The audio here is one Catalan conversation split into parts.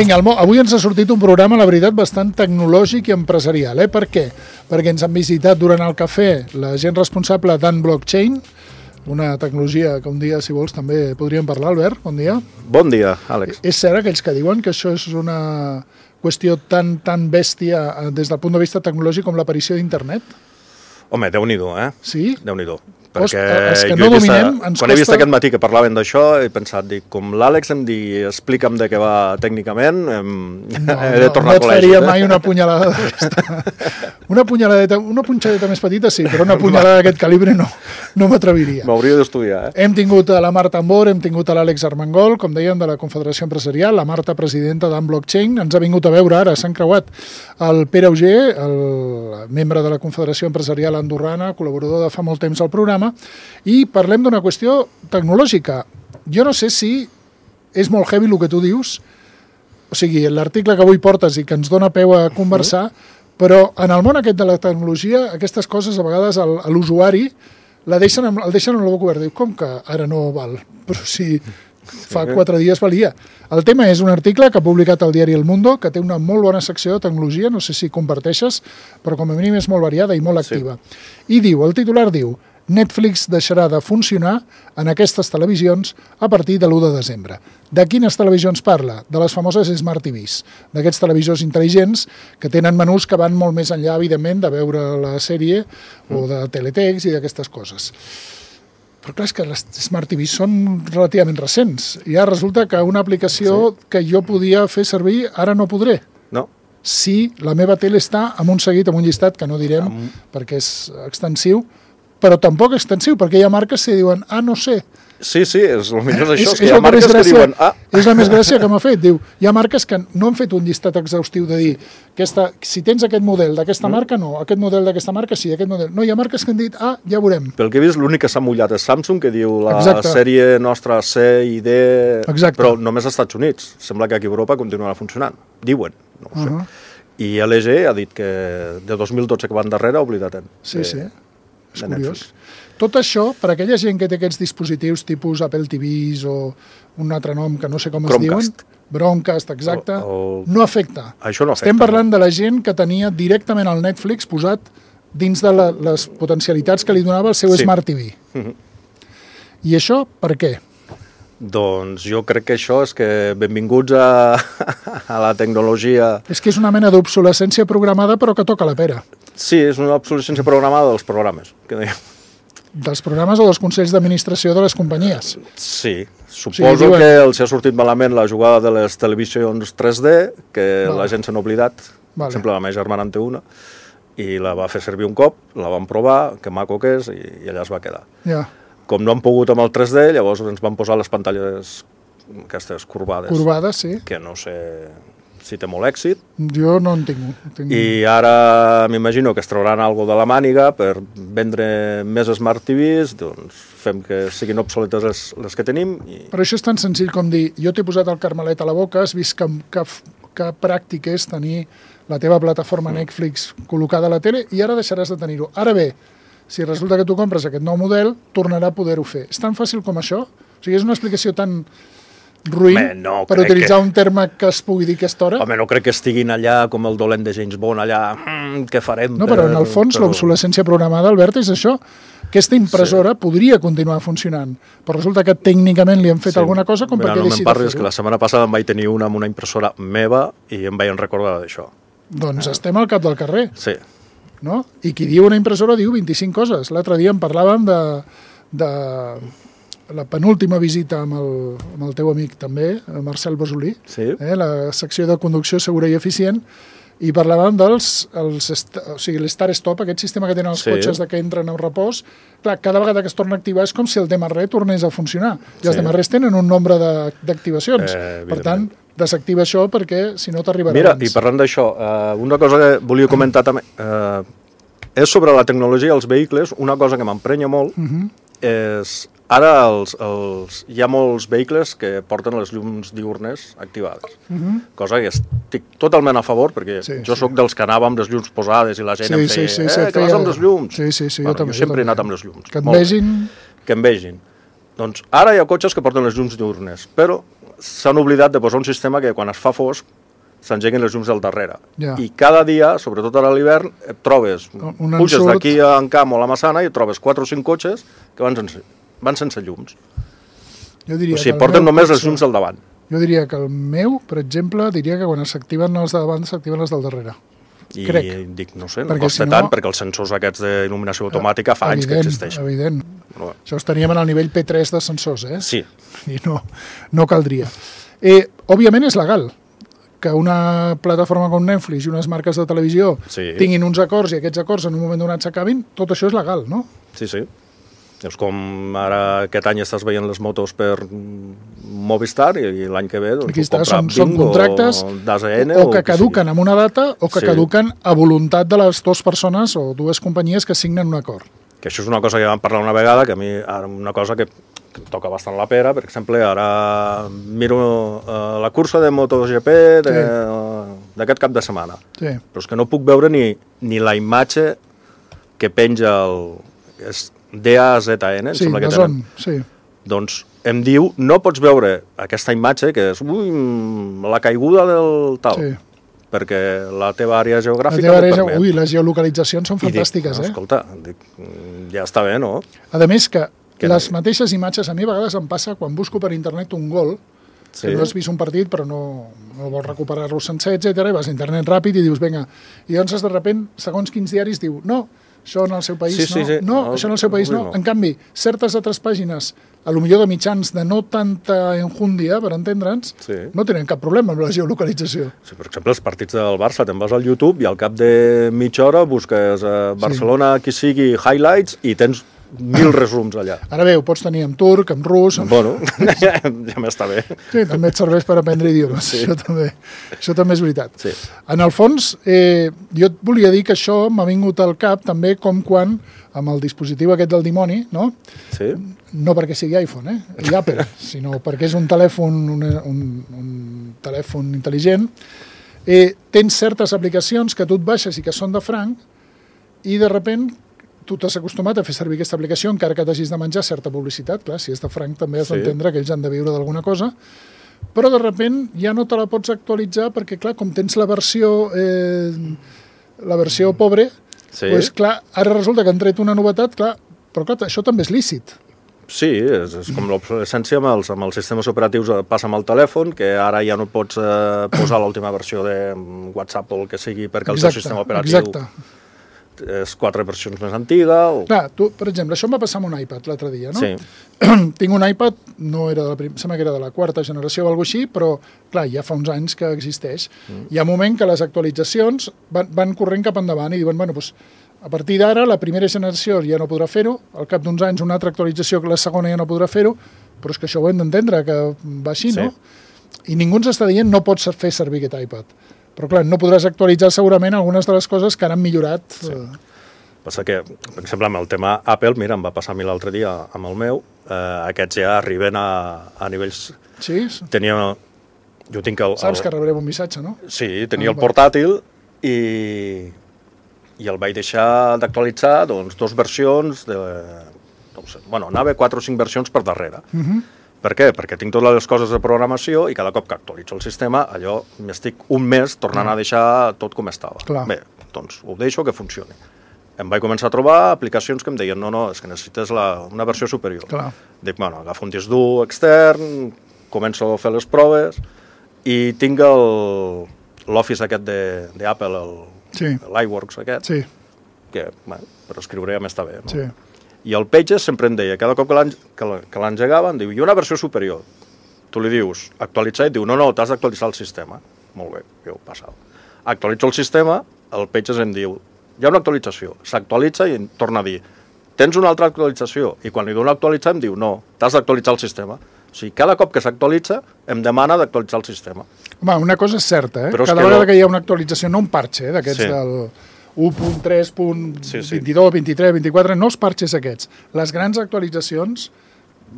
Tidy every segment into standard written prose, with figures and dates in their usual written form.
Vinga, avui ens ha sortit un programa, la veritat, bastant tecnològic i empresarial. Per què? Perquè ens han visitat durant el cafè la gent responsable d'Unblockchain, una tecnologia que un dia, si vols, també podríem parlar. Albert, bon dia. Bon dia, Àlex. És cert aquells que diuen que això és una qüestió tan bèstia des del punt de vista tecnològic com l'aparició d'internet? Home, Déu-n'hi-do, Sí? Déu-n'hi-do. Perquè els que no dominem ens costa... Quan he vist aquest matí que parlaven d'això, he pensat, com l'Àlex em digui, explica'm de què va tècnicament, he de tornar a col·legi. No et faria mai una punyalada d'aquesta. Una punxadeta més petita sí, però una punyalada d'aquest calibre no m'atreviria. M'hauria d'estudiar, Hem tingut a la Marta Ambor, hem tingut a l'Àlex Armengol, com dèiem, de la Confederació Empresarial, la Marta, presidenta d'Unblockchain, ens ha vingut a veure ara, s'han creuat el Pere Auger, el membre de la Confederació Empresarial andorrana, col·laborador de fa molt temps al programa, i parlem d'una qüestió tecnològica. Jo no sé si és molt heavy el que tu dius, o sigui, l'article que avui portes i que ens dona peu a conversar, però en el món aquest de la tecnologia, aquestes coses a vegades a l'usuari el deixen amb la boca oberta. Diu, com que ara no val? Però si fa 4 dies valia. El tema és un article que ha publicat el diari El Mundo, que té una molt bona secció de tecnologia, no sé si comparteixes, però com a mínim és molt variada i molt activa. I diu, el titular diu, Netflix deixarà de funcionar en aquestes televisions a partir de l'1 de desembre. De quines televisions parla? De les famoses Smart TVs, d'aquests televisors intel·ligents que tenen menús que van molt més enllà, evidentment, de veure la sèrie o de teletext i d'aquestes coses. Però clar, és que les Smart TVs són relativament recents. Ja resulta que una aplicació que jo podia fer servir ara no podré. No. Si la meva tele està amb un seguit, amb un llistat, que no direm perquè és extensiu, però tampoc extensiu, perquè hi ha marques que diuen, no sé. Sí, és el millor d'això, és que hi ha marques que diuen, És la més gràcia que m'ha fet, diu, hi ha marques que no han fet un llistat exhaustiu de dir, si tens aquest model d'aquesta marca, no, aquest model d'aquesta marca, sí, aquest model. No, hi ha marques que han dit, ja veurem. Pel que he vist, l'únic que s'ha mullat és Samsung, que diu la sèrie nostra C i D, però només als Estats Units. Sembla que aquí a Europa continuarà funcionant. Diuen, no ho sé. I LG ha dit que de 2012 que van darrere, oblida't. Sí. És curiós. Tot això, per aquella gent que té aquests dispositius tipus Apple TVs o un altre nom que no sé com es diuen, Chromecast, exacte, no afecta. Això no afecta. Estem parlant de la gent que tenia directament el Netflix posat dins de les potencialitats que li donava el seu Smart TV. I això, per què? Doncs jo crec que això és que benvinguts a la tecnologia... És que és una mena d'obsolescència programada però que toca la pera. Sí, és una obsolescència programada dels programes, que dèiem. Dels programes o dels consells d'administració de les companyies? Sí, suposo que els ha sortit malament la jugada de les televisions 3D, que la gent se n'ha oblidat, per exemple la meva germana en té una, i la va fer servir un cop, la vam provar, que maco que és, i allà es va quedar. Com no han pogut amb el 3D, llavors ens van posar les pantalles aquestes corbades. Corbades, sí. Que no sé si té molt èxit. Jo no en tinc. I ara m'imagino que es trauran alguna de la màniga per vendre més Smart TVs, doncs fem que siguin obsoletes les que tenim. Però això és tan senzill com dir, jo t'he posat el carmelet a la boca, has vist que pràctic és tenir la teva plataforma Netflix col·locada a la tele i ara deixaràs de tenir-ho. Ara bé, si resulta que tu compres aquest nou model, tornarà a poder-ho fer. És tan fàcil com això? O sigui, és una explicació tan ruïn per utilitzar un terme que es pugui dir aquesta hora? Home, no crec que estiguin allà com el dolent de James Bond, allà, què farem? No, però en el fons l'obsolescència programada, Albert, és això. Aquesta impressora podria continuar funcionant, però resulta que tècnicament li han fet alguna cosa com perquè deixi de fer-ho. No me'n parlis, que la setmana passada em vaig tenir una amb una impressora meva i em vaig recordar d'això. Doncs estem al cap del carrer. Sí. No? I qui diu una impressora diu 25 coses. L'altre dia en parlàvem de la penúltima visita amb el teu amic també, Marcel Bosolí, la secció de conducció segura i eficient, i parlàvem l'Start Stop, aquest sistema que tenen els cotxes que entren en repòs. Clar, cada vegada que es torna a activar és com si el DMR tornés a funcionar. I els DMRs tenen un nombre d'activacions. Per tant, desactiva això perquè si no t'arribarà abans. Mira, i parlant d'això, una cosa que volia comentar també és sobre la tecnologia dels vehicles. Una cosa que m'emprenya molt és ara hi ha molts vehicles que porten les llums diürnes activades, cosa que estic totalment a favor perquè jo sóc dels que anava amb les llums posades i la gent em feia, que vas amb les llums. Jo sempre he anat amb les llums. Que et vegin. Que em vegin. Doncs ara hi ha cotxes que porten les llums diürnes, però s'han oblidat de posar un sistema que quan es fa fosc s'engeguen les llums del darrere. Ja. I cada dia, sobretot ara a l'hivern, et trobes, puges d'aquí a Encamp o a la Massana i et trobes 4 o 5 cotxes que van sense llums. Jo diria o sigui, porten només les llums del davant. Jo diria que el meu, per exemple, diria que quan s'activen els de davant s'activen les del darrere. I crec. Dic, no sé, no costa tant, perquè els sensors aquests d'il·luminació automàtica fa anys que existeixen. Evident. No. Això estaríem en el nivell P3 de sensors, Sí. I no caldria. Òbviament és legal que una plataforma com Netflix i unes marques de televisió tinguin uns acords i aquests acords en un moment donat s'acabin, tot això és legal, no? Sí. És com ara aquest any estàs veient les motos per Movistar i l'any que ve doncs, són contractes d'ASN o que caduquen amb una data o que caduquen a voluntat de les dues persones o dues companyies que signen un acord. Que això és una cosa que vam parlar una vegada, que a mi una cosa que em toca bastant la pera. Per exemple, ara miro la cursa de MotoGP d'aquest cap de setmana. Sí. Però és que no puc veure ni la imatge que penja és DAZN, em sembla que tenen. Sí. Doncs em diu, no pots veure aquesta imatge que és la caiguda del tal. Sí. Perquè la teva àrea geogràfica no permet. Les geolocalitzacions són fantàstiques, dic, escolta, ja està bé, no? A més que les mateixes imatges, a mi a vegades em passa quan busco per internet un gol, que no has vist un partit però no vols recuperar-lo sencer, etc. I vas a internet ràpid i dius, vinga, i llavors de sobte, segons quins diaris diu, no, això en el seu país no, això en el seu país no. En canvi, certes altres pàgines, a lo millor de mitjans de no tanta enjúndia, per entendre'ns, no tenen cap problema amb la geolocalització. Sí, per exemple, els partits del Barça, te'n vas al YouTube i al cap de mitja hora busques Barcelona, qui sigui, highlights, i tens 1000 resums allà. Ara bé, ho pots tenir en turc, en rus... Bueno, ja m'està bé. Sí, també et serveix per aprendre idiomes. Sí. Això també és veritat. Sí. En el fons, jo et volia dir que això m'ha vingut al cap també com quan, amb el dispositiu aquest del dimoni, no? Sí. No perquè sigui iPhone, i Apple, sinó perquè és un telèfon, un telèfon intel·ligent, tens certes aplicacions que tu et baixes i que són de franc, i de sobte tu t'has acostumat a fer servir aquesta aplicació encara que t'hagis de menjar certa publicitat. Clar, si és de franc també has d'entendre que ells han de viure d'alguna cosa, però de sobte ja no te la pots actualitzar perquè, clar, com tens la versió pobre, doncs, clar, ara resulta que han tret una novetat, clar, però clar, això també és lícit. Sí, és com l'obsolescència amb els sistemes operatius passa amb el telèfon, que ara ja no pots posar l'última versió de WhatsApp o el que sigui perquè el teu sistema operatiu és 4 versions més antiga. Clar, tu, per exemple, això em va passar amb un iPad l'altre dia, no? Sí. Tinc un iPad, no era sembla que era de la 4ª generació o alguna cosa així, però, clar, ja fa uns anys que existeix. Hi ha un moment que les actualitzacions van corrent cap endavant i diuen, bueno, doncs, a partir d'ara, la primera generació ja no podrà fer-ho, al cap d'uns anys una altra actualització que la segona ja no podrà fer-ho, però és que això ho hem d'entendre, que va així, no? I ningú ens està dient no pots fer servir aquest iPad. Però, clar, no podràs actualitzar segurament algunes de les coses que han millorat. Sí. Passa que, per exemple, amb el tema Apple, mira, em va passar a mi l'altre dia amb el meu, aquests ja arriben a nivells... Sí? Jo tinc Saps que rebrem un missatge, no? Sí, tenia el portàtil i el vaig deixar d'actualitzar, doncs, 2 versions, anava 4 o 5 versions per darrere. Per què? Perquè tinc totes les coses de programació i cada cop que actualitzo el sistema, allò m'estic un mes tornant a deixar tot com estava. Clar. Bé, doncs ho deixo que funcioni. Em vaig començar a trobar aplicacions que em deien no, és que necessites una versió superior. Clar. Dic, bueno, agafo un disc dur extern, començo a fer les proves i tinc l'Office aquest d'Apple, l'iWorks aquest, que per escriure ja m'està bé, no? Sí. I el Pages sempre em deia, cada cop que l'engegava, em diu, hi ha una versió superior. Tu li dius, actualitzar, i et diu, no, t'has d'actualitzar el sistema. Molt bé, jo passava. Actualitzo el sistema, el Pages em diu, hi ha una actualització. S'actualitza i em torna a dir, tens una altra actualització? I quan li dono actualitzar em diu, no, t'has d'actualitzar el sistema. O sigui, cada cop que s'actualitza, em demana d'actualitzar el sistema. Home, una cosa és certa, Cada vegada que hi ha una actualització, no un parche, d'aquests del 1.3.22, 23, 24, no els parxes aquests. Les grans actualitzacions,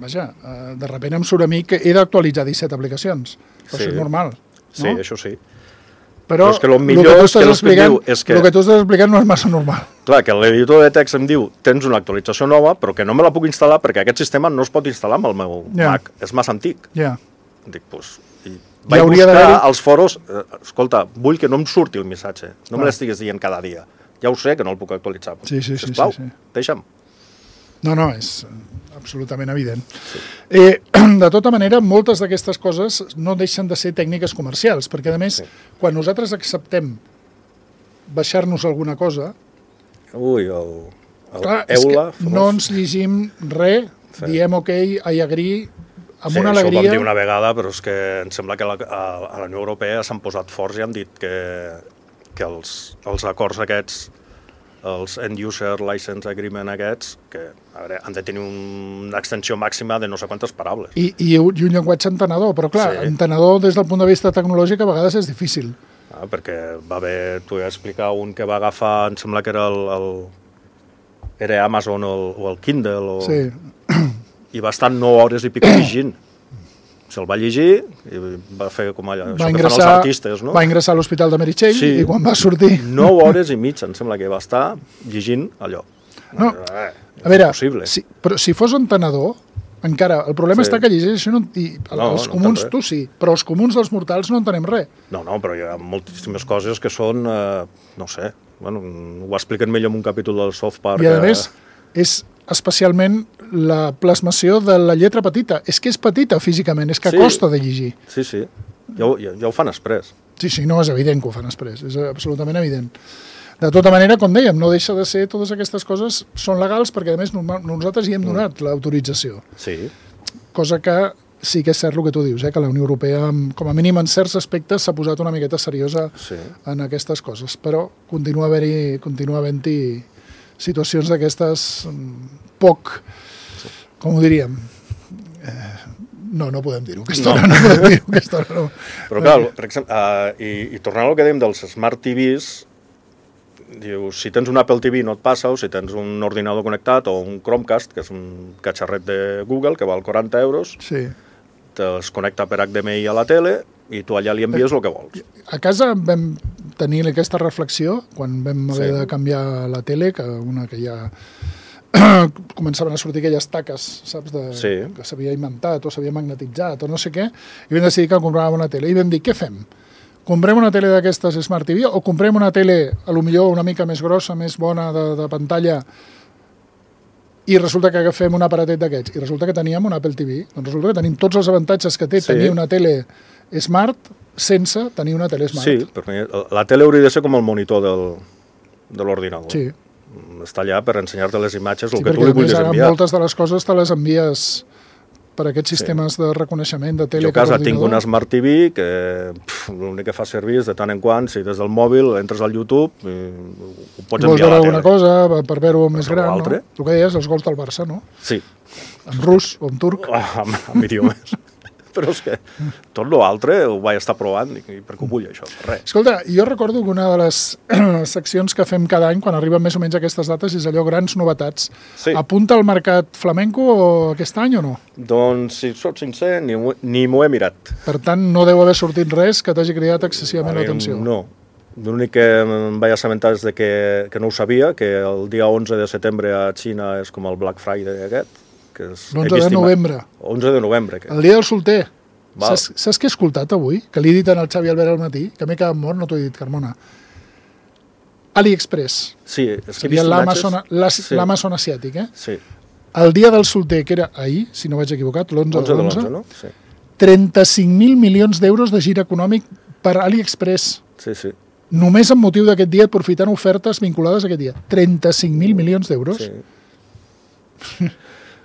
vaja, de sobte em surt a mi que he d'actualitzar 17 aplicacions. Però això és normal. Sí, això sí. Però és que el millor el que tu estàs explicant no és massa normal. Clar, que l'editor de text em diu tens una actualització nova, però que no me la puc instal·lar perquè aquest sistema no es pot instal·lar amb el meu Mac. És massa antic. Ja. Dic, doncs... Vaig hauria buscar als foros, escolta, vull que no em surti el missatge, no me l'estigues dient cada dia. Ja ho sé que no el puc actualitzar. Sisplau, deixa'm. No, és absolutament evident. De tota manera, moltes d'aquestes coses no deixen de ser tècniques comercials, perquè, a més, quan nosaltres acceptem baixar-nos alguna cosa... Ui, clar, és que no ens llegim res, diem ok, I agree, amb una alegria... Sí, això ho vam dir una vegada, però és que em sembla que a la Unió Europea s'han posat forts i han dit que els acords aquests, els End User License Agreement aquests, que a veure, han de tenir una extensió màxima de no sé quantes paraules. I un llenguatge entenedor, però clar, entenedor des del punt de vista tecnològic a vegades és difícil. Perquè va haver, t'ho he explicat, un que va agafar, em sembla que era Amazon o el Kindle, i va estar 9 hores i pico llegint. Se'l va llegir i va fer com allò, això que fan els artistes, no? Va ingressar a l'Hospital de Meritxell i quan va sortir... 9 hores i mitja, em sembla que va estar llegint allò. No, a veure, però si fos entenedor, encara, el problema està que llegeixen els comuns, tu sí, però els comuns dels mortals no entenem res. No, però hi ha moltíssimes coses que són, no sé, bueno, ho expliquen millor en un capítol del South Park. I a més, és especialment la plasmació de la lletra petita. És que és petita físicament, és que costa de llegir. Sí, ja ho fan exprés. Sí, no, és evident que ho fan exprés, és absolutament evident. De tota manera, com dèiem, no deixa de ser, totes aquestes coses són legals perquè, a més, nosaltres hi hem donat l'autorització. Sí. Cosa que sí que és cert el que tu dius, que la Unió Europea, com a mínim en certs aspectes, s'ha posat una miqueta seriosa en aquestes coses, però continua havent-hi situacions d'aquestes poc, com ho diríem, no podem dir-ho, aquesta hora no podem dir-ho, aquesta hora no. Però clar, per exemple, i tornant al que dèiem dels Smart TVs, dius, si tens un Apple TV no et passa, o si tens un ordinador connectat o un Chromecast, que és un catxarret de Google que val 40 euros, te'ls connecta per HDMI a la tele i tu allà li envies el que vols. A casa vam tenir aquesta reflexió quan vam haver de canviar la tele, que ja començaven a sortir aquelles taques, saps, que s'havia inventat o s'havia magnetitzat o no sé què, i vam decidir que compràvem una tele i vam dir, què fem? Comprem una tele d'aquestes Smart TV o comprem una tele, a lo millor una mica més grossa, més bona de pantalla, i resulta que agafem un aparatet d'aquests, i resulta que teníem un Apple TV. Doncs resulta que tenim tots els avantatges que té tenir una tele Smart sense tenir una tele Smart. Sí, perquè la tele hauria de ser com el monitor de l'ordinador. Sí. Està allà per ensenyar-te les imatges, el que tu li vulguis enviar. Perquè moltes de les coses te les envies per aquests sistemes de reconeixement de tele. Jo a casa tinc una Smart TV que l'únic que fa servir és de tant en quant, si des del mòbil entres al YouTube i ho pots enviar a la tele. Vols veure alguna cosa per veure-ho més gran, no? Tu què deies, els gols del Barça, no? Sí. En rus o en turc. Amb idiomes. Però és que tot l'altre ho vaig estar provant i per què ho vull això? Res. Escolta, jo recordo que una de les seccions que fem cada any, quan arriben més o menys aquestes dates, és allò grans novetats. Sí. Apunta al mercat flamenco aquest any o no? Doncs, si soc sincer, ni m'ho he mirat. Per tant, no deu haver sortit res que t'hagi cridat excessivament l'atenció. No. L'únic que em vaig assabentar és que no ho sabia, que el dia 11 de setembre a Xina és com el Black Friday aquest, l'11 de novembre. 11 de novembre. El dia del solter. Saps què he escoltat avui? Que li he dit al Xavi Albert al matí, que m'he quedat mort, no t'ho he dit, Carmona. AliExpress. Sí, és que seria l'Amazon asiàtic, Sí. El dia del solter, que era ahir, si no vaig equivocat, l'11 de l'11, no? Sí. 35.000 milions d'euros de gir econòmic per AliExpress. Sí. Només amb motiu d'aquest dia, aprofitant ofertes vinculades a aquest dia. 35.000 milions d'euros. Sí.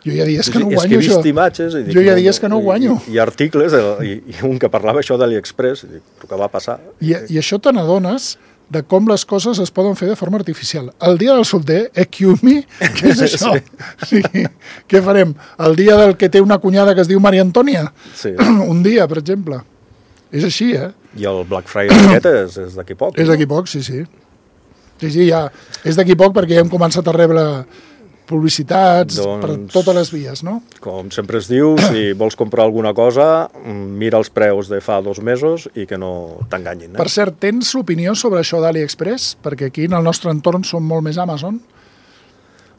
Jo hi ha dies que no guanyo, això. És que he vist imatges i dic, jo hi ha dies que no guanyo. I articles, i un que parlava això d'AliExpress, i dic, però què va passar? I això te n'adones de com les coses es poden fer de forma artificial. El dia del solter, Kiumi, què és això? Sí. Què farem? El dia del que té una cunyada que es diu Maria Antònia? Sí. Un dia, per exemple. És així, I el Black Friday aquest és d'aquí poc. És d'aquí poc, sí. Sí, ja. És d'aquí poc perquè ja hem començat a rebre publicitats per totes les vies, no? Com sempre es diu, si vols comprar alguna cosa, mira els preus de fa 2 mesos i que no t'enganyin. Per cert, tens opinió sobre això d'AliExpress? Perquè aquí en el nostre entorn som molt més Amazon.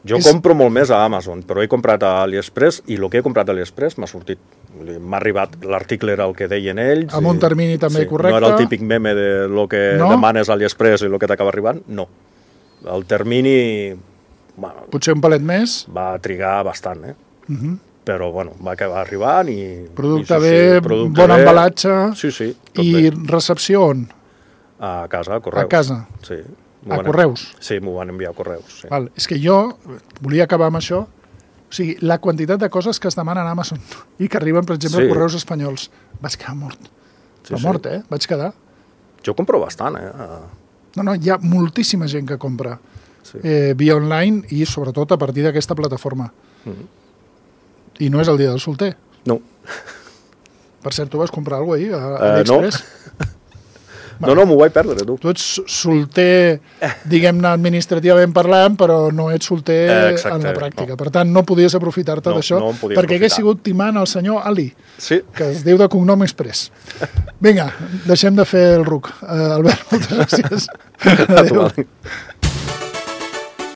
Jo compro molt més a Amazon, però he comprat a AliExpress i el que he comprat a AliExpress m'ha sortit m'ha arribat, l'article era el que deien ells. Amb un termini també correcte. No era el típic meme de lo que demanes a AliExpress i el que t'acaba arribant, no. El termini... Potser un palet més. Va trigar bastant, però bueno, va acabar arribant i... Producte bé, bon embalatge. Sí. I recepció on? A casa, a correus. A casa? Sí. A correus? Sí, m'ho van enviar a correus. Sí. Val. És que jo volia acabar amb això. O sigui, la quantitat de coses que es demanen a Amazon i que arriben, per exemple, a correus espanyols. Vaig quedar mort. Mort, Vaig quedar. Jo compro bastant, No, hi ha moltíssima gent que compra via online i, sobretot, a partir d'aquesta plataforma. I no és el dia del solter. No. Per cert, tu vas comprar alguna cosa ahir a AliExpress? No, m'ho vaig perdre, tu. Tu ets solter, diguem-ne, administrativament parlant, però no ets solter en la pràctica. Per tant, no podies aprofitar-te d'això, perquè hagués sigut timant el senyor Ali, que es diu de cognom Express. Vinga, deixem de fer el ruc. Albert, moltes gràcies. Adéu.